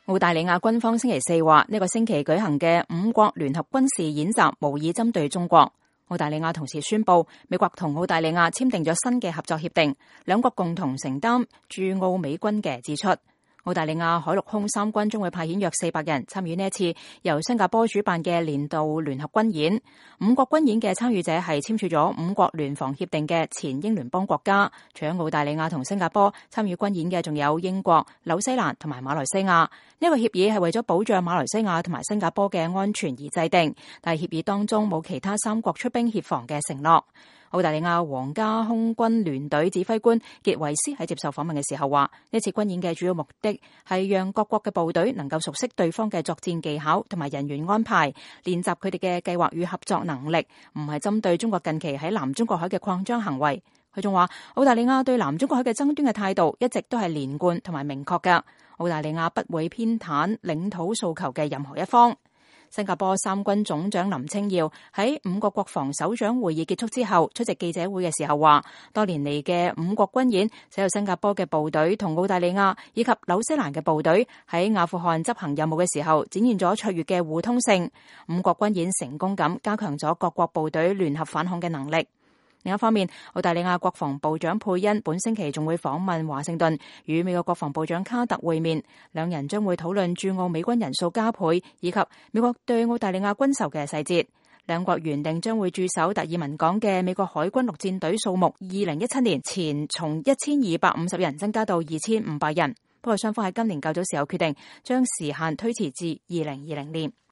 澳大利亞軍方星期四話，呢個星期舉行嘅5國聯合軍事演習無意針對中國。澳大利亞同時宣布，美國同澳大利亞簽訂咗新嘅合作協定，兩國共同承擔駐澳美軍嘅支出。澳大利亞海陸空三軍將會派遣約400人參與呢一次由新加坡主辦嘅年度聯合軍演。5國軍演嘅參與者係簽署咗5國聯防協定嘅前英聯邦國家。除咗澳大利亞同新加坡，參與軍演嘅仲有英國、紐西蘭同埋馬來西亞。呢個協議係為咗保障馬來西亞同埋新加坡嘅安全而制定，但係協議當中冇其他3國出兵協防嘅承諾。澳大利亞皇家空軍聯隊指揮官傑維斯喺接受訪問嘅時候話，呢次軍演嘅主要目的係讓各國嘅部隊能夠熟悉對方嘅作戰技巧同埋人員安排，練習佢哋嘅計劃與合作能力，唔係針對中國近期喺南中國海嘅擴張行為。佢仲話，澳大利亞對南中國海嘅爭端嘅態度一直都係連貫同埋明確㗎，澳大利亞不會偏袒領土訴求嘅任何一方。新加坡三軍總長林清耀喺5國國防首長會議結束之後出席記者會嘅時候話，多年嚟嘅5國軍演使到新加坡嘅部隊同澳大利亞以及紐西蘭嘅部隊喺阿富汗執行任務嘅時候展現咗卓越嘅互通性。5國軍演成功咁加強咗各國部隊聯合反恐嘅能力。另一方面，澳大利亞國防部長佩恩本星期仲會訪問華盛頓，與美國國防部長卡特會面，兩人將會討論駐澳美軍人數加倍以及美國對澳大利亞軍售嘅細節。兩國原定將會駐守達爾文港嘅美國海軍陸戰隊數目2017年前從1250人增加到2500人，不過雙方喺今年較早時候決定將時限推遲至2020年。